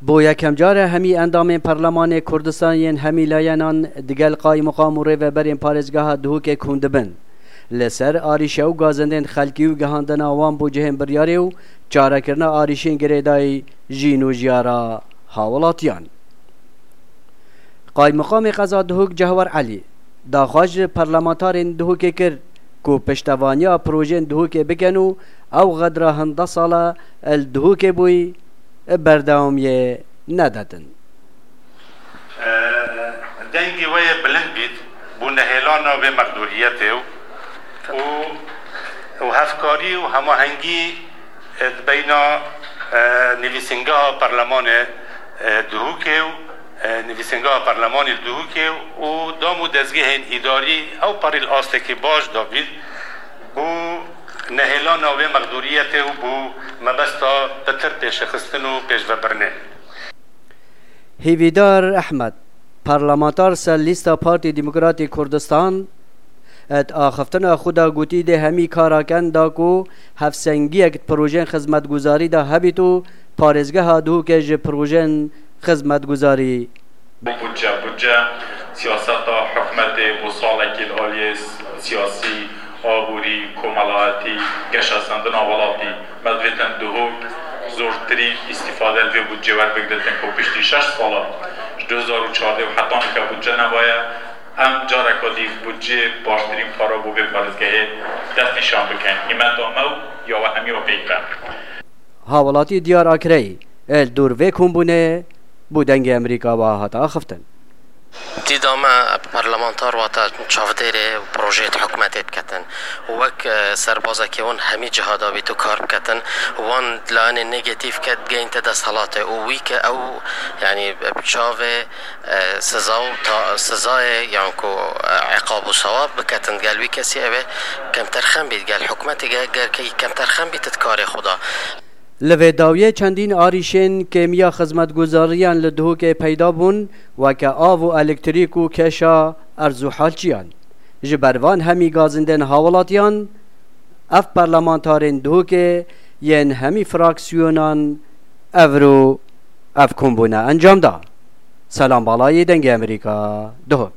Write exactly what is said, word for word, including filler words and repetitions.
Bo yekem car e hemî endamên Perlemanê Kurdistan yên hemî layenan digel qaymiqam û rêveberên parêzgeha Duhokê kom dibin. Li ser arîşe û gazindên xelkî û gihandina wan bo cihên biryarê û çarekirina arîşên girêdayî jîn û jiyara hawilatiyan. Qaymiqamê qeza Duhok Cehwer Elî daxwaz ji perlemantarên Duhokê kir ku piştevaniya projeyên Duhokê bikin û ew xedra hin deh sal e li Duhokê bûyî berdewamiyê nedetin. Dengê we yê bilind bît bo nehêlana vê mexdûriyetê û, û, û hevkarî û hemahengî, e, di beyna, e, nivîsîngeha Perlemanê, e, Duhokê û, e, nivîsîngeha Perlemanê li Duhokê û dam û dezgehên îdarî ew parî li astekî baş de bît bo nehêlana wê mexdûriyetê û bo mebesta pitir pêşexistin û pêşvebirinê. Hêvîdar Ehmed, parlamentar ser lîsta Partî Demokratî Kurdistan, di axiftina xwe de gotî dê hemî kara ken da ku hevsengiyek di projeyên xizmetguzarî de hebît û parêzgeha Duhokê ji projeyên xizmetguzarî. Budce, budce siyaseta hikûmetê bo salekî li aliyê siyasî, aborî, komelayetî, geşesandina welatî. Me divêtin Duhok zortirîn îstîfade li vê budcê werbigiritin ku piştî şeş sala, ji du hezar û çardeh û heta nika budce nebaye. Em careka dî budcê baştirîn para bo vê parêzgehê destnîşan bikin. Hîmeta me û ya we hemî ya pêk be. Hawlatî Diyar Akreyî, li dor vê kombûnê bo Dengê Amerîka wiha hate axiftin. Dîda me parlamentar wate çavdêrê projeyê di hikûmetê diketin. Wek, e, serbazekê wan hemî ciha de bît û kar biketin, wan layenê negatîf ke digeyînte desthilatê û wî ke ew, yanî, bi çavê, e, siza û ta-, sizayê yan ku, e, iqab û sewab biketin gel wî kesî ew ê kemterxem bît, gel hikûmetê ge-, gerkî kemterxem bît di karê xwe de. Li vê dawiyê çendîn arîşên kêmiya xizmetguzariyan li Duhokê peyda bûn, weke av û elektrîk û kêşa erz û halçiyan. Ji ber van hemî gazindên hawilatiyan, ev parlamentarên Duhokê yên hemî fraksiyonan evro ev kombûne encam da. Selam Balayî, Dengê Amerîka, Duhok.